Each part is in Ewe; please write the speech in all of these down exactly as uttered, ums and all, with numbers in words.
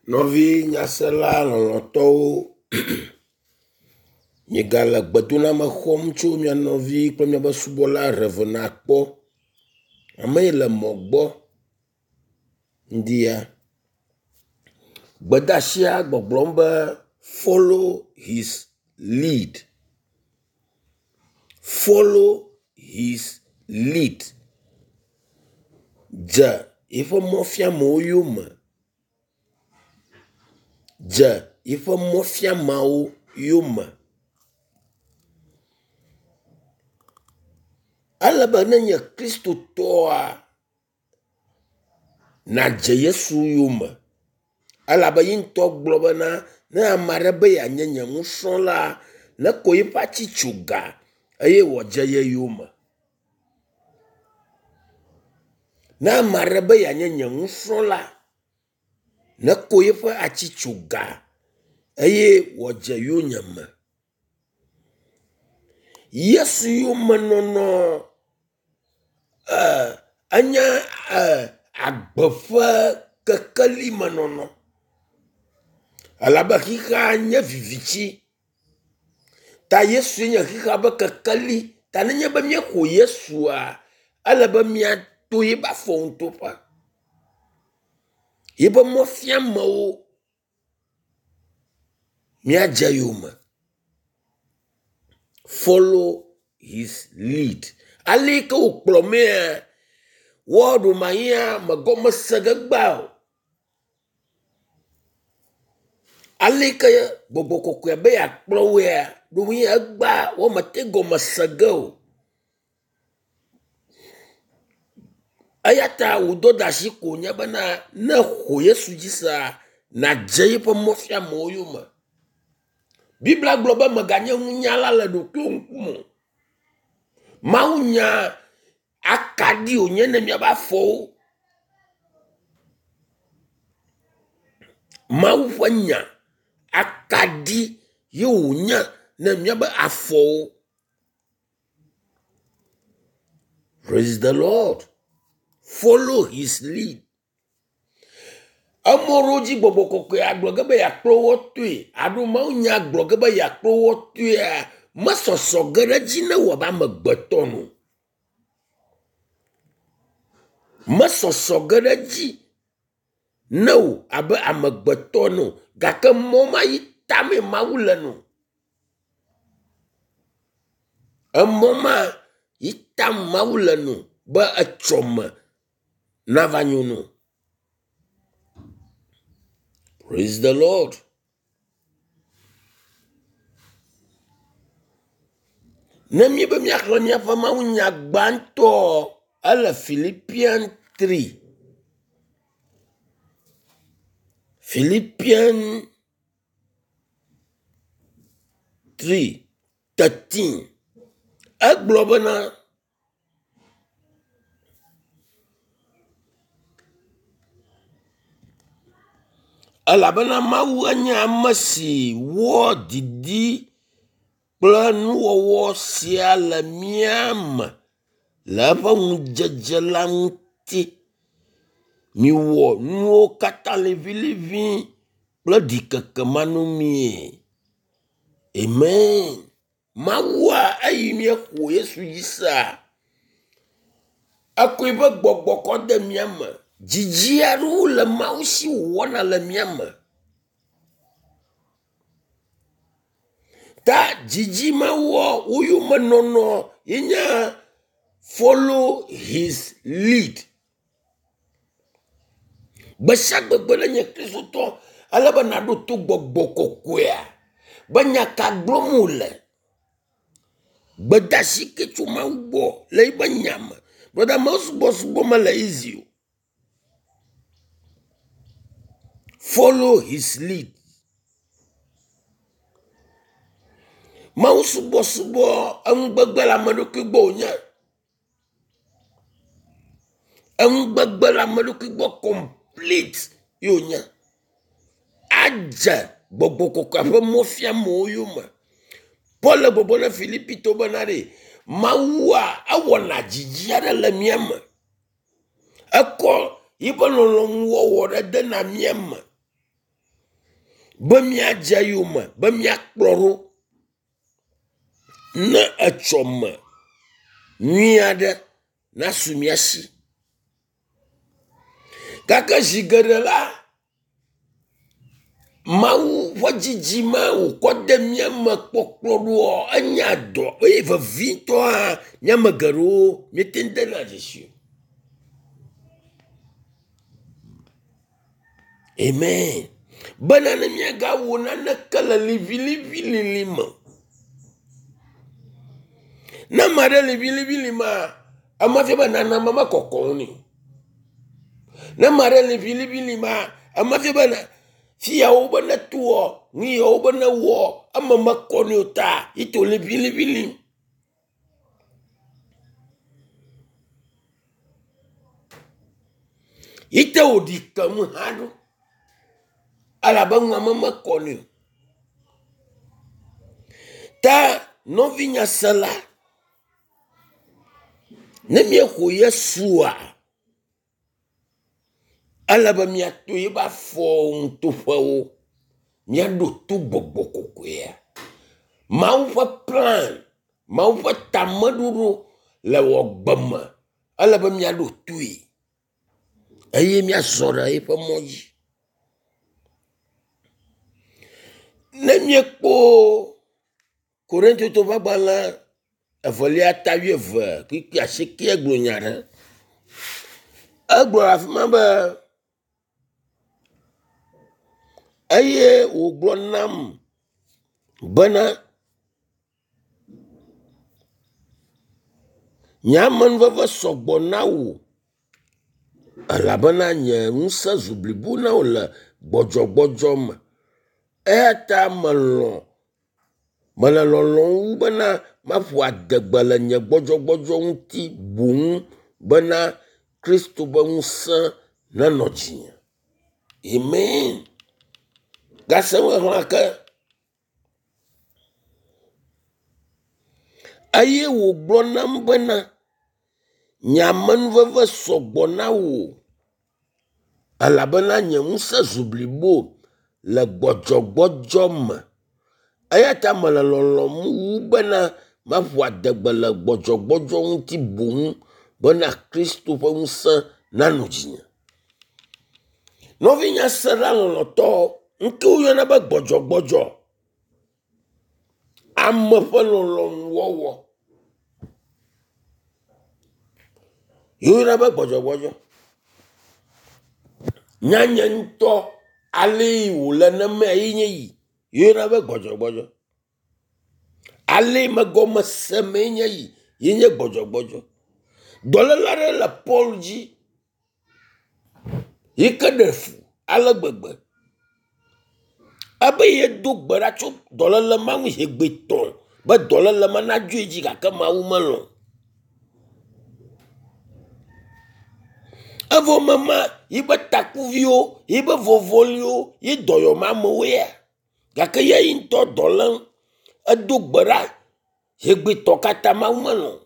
Nɔvi nyasela lɔlɔ̃tɔwo, miegale gbedoname xɔm tso mia nɔvi kple miaƒe subɔla Rev. Akpɔ. Ame yi le mɔ gbɔ ŋdi ya. Gbedeasia gbɔgblɔm be follow his lead. Follow his lead. Dze yiƒe mɔfiamewo yome. Dze yiƒe mɔfiameawo yome. Ele be nenye kristotɔa nadze Yesu yome elabe ye ŋutɔ gblɔ bena ne ame aɖe be yeanye nye nusrɔ̃la, neko eƒe atsitsoga eye wòadze ye yome. Ne ame aɖe be yeanye nye nusrɔ̃la, neko eƒe atsitsoga eye wòadze yonyeme. Yesu yomenɔnɔ e enye e agbe ƒe kekelimenɔnɔ elabe xixea nye viviti ta Yesue nye xixea ƒe kekeli ta nenye be míexɔ Yesua, ele be míato yiƒe afɔŋutoƒe. Yiƒe mɔfiamewo míadze yome. Follow his lead. Ale yi ke wòkplɔ mía, woa ɖewomahiã megɔme se ge gbã o. Ale yi ke gbɔgbɔ kɔkɔea be yeakplɔ woea, ɖewohĩ egbea womete gɔme se ge o. Eya ta wò dɔdeasi ko nye bena ne èxɔ Yesu dzi sea, nàdze yiƒe mɔfiamewo yome. Biblia gblɔ be mèganye nunyala le ɖokuiwò ŋkume o. Mawunya akaɖi wònye ne míaƒe afɔwo. Mawu ƒe nya akaɖi ye wònye ne míaƒe afɔwo. Praise the Lord. Follow his lead. Emɔ ɖewo dzi gbɔgbɔ kɔkɔe agblɔ ge be yeakplɔ wo toe alo mawunya gblɔ ge be yeakplɔ wo toea, mesɔsɔ ge ɖe edzi ne wò abe amegbetɔ ene o. Mesɔsɔ ge ɖe edzi ne wò abe amegbetɔ ene o gake mɔ ma yi tamee Mawu le no. Emɔ ma yi tam Mawu le no be etsɔme nava nyo no. Praise the Lord. Ne míebe míaxlẽ míaƒe mawunya gbãtɔ, ele Philippian three. Philippian three thirteen. Egblɔ bena elabena Mawu enye ame si wɔ didi kple nuwɔwɔ sia le mía me le eƒe ŋudzedze la ŋuti. Miwɔ nuwo katã liʋiliʋĩ kple ɖikeke manɔmee. Amen. Mawua eyi míexɔ Yesu dzi sea, ekɔ eƒe gbɔgbɔ kɔ de mía me. Dzidzi aɖewo le Mawu si wòwɔna le mía me. Ta dzidzi mawua wo yomenɔnɔ ye nye follow his lead. Gbe sia gbegbe ne nye kristotɔ ele be nàɖo to gbɔgbɔ kɔkɔea be nya ka gblɔm wòle. Gbedeasi ke tso Mawu gbɔ le yiƒe nya me. Brɔda Mawu subɔsubɔ mele easy o. Follow his lead. Mawu subɔsubɔ enugbegbe le ame ɖokui gbɔ wònye. Enugbegbe le ame ɖokui gbɔ complete ye wònye. Adze gbɔgbɔ kɔkɔea ƒe mɔfiamewo yome. Paul le gbɔgblɔm na Filipitɔwo bena ɖe Mawua ewɔna dzidzi aɖe le mía me. Ekɔ yiƒe lɔlɔ̃nuwɔwɔ ɖe dena mía me. Be míadze eyome, be míakplɔ ɖo ne etsɔme nyui aɖe nasu mía si. Gake zi geɖe la, Mawu ƒe didi ma wòkɔ de mía me kpɔkplɔ ɖoa, enya dɔ eye vevitɔa, mía ame geɖewo míete ŋu dena dzesi o. Amen. Bena ne míagawɔ naneke le liʋiliʋilili me o. Ne ame aɖe liʋiliʋi maa, ema fia be nane me mekɔkɔ ŋu nɛ o. Ne ame aɖe liʋiliʋi maa, ema fia be fi yawo be netoa, nu yawo be newɔ, eme mekɔ nɛ o ta ye to liʋiliʋi lim. Yi te wòɖi ke nu hã ɖo elabe nua me mekɔ nɛ o. Ta nɔvi nyasela, ne míexɔ Yesua, ele be míato yeƒe afɔwo ŋutoƒewo, míaɖo to gbɔgbɔ kɔkɔea. Mawu ƒe plan, Mawu ƒe tameɖoɖo le wɔ gbe me, ele be míaɖo toe eye míazɔ ɖe eƒe mɔ dzi. Ne míekpɔ Korintotɔwo ƒe agbalẽ evelia ta wuieve kpukpui asiekɛ gblɔ nya ɖe. Egblɔ le afi ma be eye wògblɔ nam bena nye amenuveve sɔgbɔ na wò elabena nye ŋusẽ zu blibo na wò le gbɔdzɔgbɔdzɔ me. Eya ta melɔ̃ mele lɔlɔ̃m wu bena maƒo adegbe le nye gbɔdzɔgbɔdzɔ ŋuti boŋ bena Kristo ƒe ŋusẽ nenɔ dzinye. Amen. Gase ŋu ke. Eye wògblɔ nam bena nye amenuveve sɔgbɔ na wò elabena nye ŋusẽ zu blibo le gbɔdzɔgbɔdzɔ me. Eya ta mele lɔlɔ̃m wu bena maƒo adegbe le gbɔdzɔgbɔdzɔ ŋuti boŋ bena Kristo ƒe ŋusẽ nanɔ dzinye. Nɔvi nyasela lɔlɔ̃tɔ, ŋke woyɔna be gbɔdzɔgbɔdzɔ, ame ƒe lɔlɔ̃nuwɔwɔ. Woyɔna be gbɔdzɔgbɔdzɔ. Nyanye ŋutɔ ale yi wòle nemea ye nye yi. Woyɔna be gbɔdzɔgbɔdzɔ. Ale yi megɔme semee nye yi ye nye gbɔdzɔgbɔdzɔ. Dɔléle aɖe le Paul dzi yi ke ɖe fu ale gbegbe. Ebe yedo gbe ɖa tso dɔléle ma ŋu zi gbetɔ̃ be dɔléle ma nadzoe dzi gake Mawu melɔ̃. Evɔ mema yiƒe takuviwo, yiƒe vɔvɔliwo, ye dɔyɔm amewo ya. Gake ye ŋutɔ dɔ lém. Edo gbe ɖa zi gbetɔ̃ katã Mawu melɔ̃.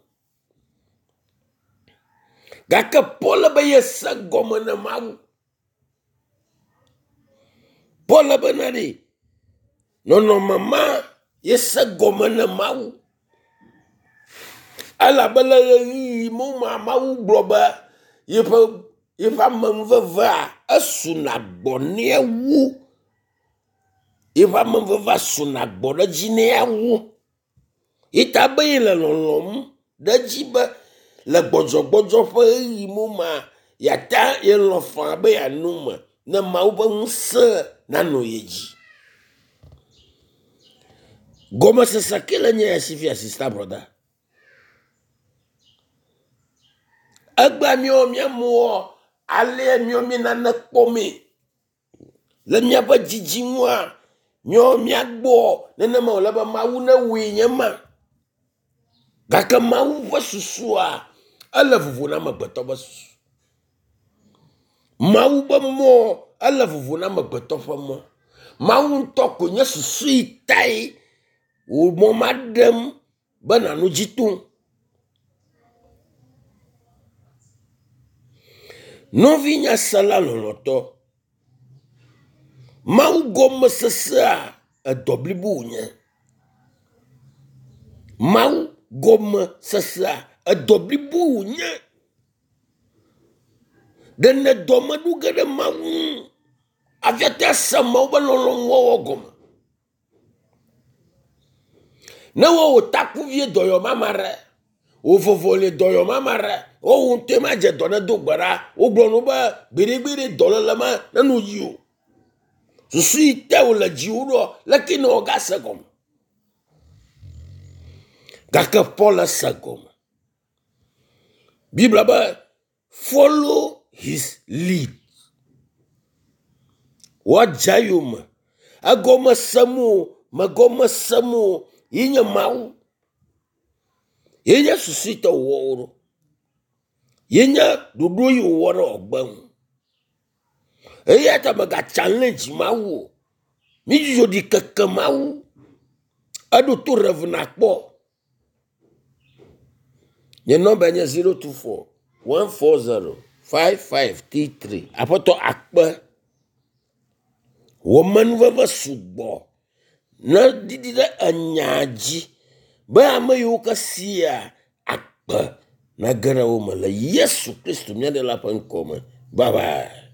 Gake Paul be yese gɔme na Mawu. Paul bena ɖe nɔnɔme ma yese gɔme na Mawu. Elabe le ɣeyiɣi ma Mawu gblɔ be yeƒe yeƒe amenuvevea esuna gbɔ nɛ wu. Yeƒe amenuvevea suna gbɔ ɖe edzi nɛ wu. Yi ta be yele lɔlɔ̃m ɖe edzi be le gbɔdzɔgbɔdzɔ ƒe ɣeyiɣi ma yeata yelɔ̃ faa be yeano me ne Mawu ƒe ŋusẽ nanɔ ye dzi. Gɔmesese ke le nye ya si fia sista brɔda. Egbea míawo míamewoa, alea míawo mí nane kpɔmee. Le míaƒe dzidzi ŋua, míawo míagbɔ nenema wòle be Mawu newɔe nye ma. Gake Mawu ƒe susua, ele vovo na amegbetɔ ƒe susu. Mawu ƒe mɔ, ele vovo na amegbetɔ ƒe mɔ. Mawu ŋutɔ ko nye susu yi tae wò mɔ ma ɖem be nànɔ dzi tom. Nɔvi nyasela lɔlɔ̃tɔ, Mawu gɔmesesea edɔ blibo wònye. Mawu gɔmesesea edɔ blibo wònye. Ɖe ne dɔme ɖo ge ɖe Mawu ŋu hafi ate ase Mawu ƒe lɔlɔ̃nuwɔwɔ gɔme. Ne wɔ wò takuvie dɔyɔm ame aɖe, wò vɔvɔlie dɔyɔm ame aɖe, wo wò ŋutɔe ma dze dɔ ne do gbe ɖa. Wogblɔ no be gbeɖegbeɖe dɔléle ma neno yi o. Susu yi te wòle dziwò ɖoa, leke ne wòagase gɔme? Gake Paul ese gɔme. Biblia be follow his lead. Woadze eyome. Egɔme sem o, megɔme sem o, ye nye Mawu. Ye nye susu yi te wòwɔ wo ɖo. Ye nye ɖoɖo yi wòwɔ ɖe wòagbe ŋu. Eya ta mèga challenge Mawu o. Mídzudzɔ ɖikeke Mawu. Eɖo to Rev nakpɔ. Nye nɔmba nye zero two four one four zero five five three three. Aƒetɔ akpe. Wò amenuveve sugbɔ ne ɖiɖi ɖe enya dzi be ame yiwo ke sia akpe nage ɖe wo me le Yesu Kristu mía Ɖela ƒe ŋkɔ me. Bye bye.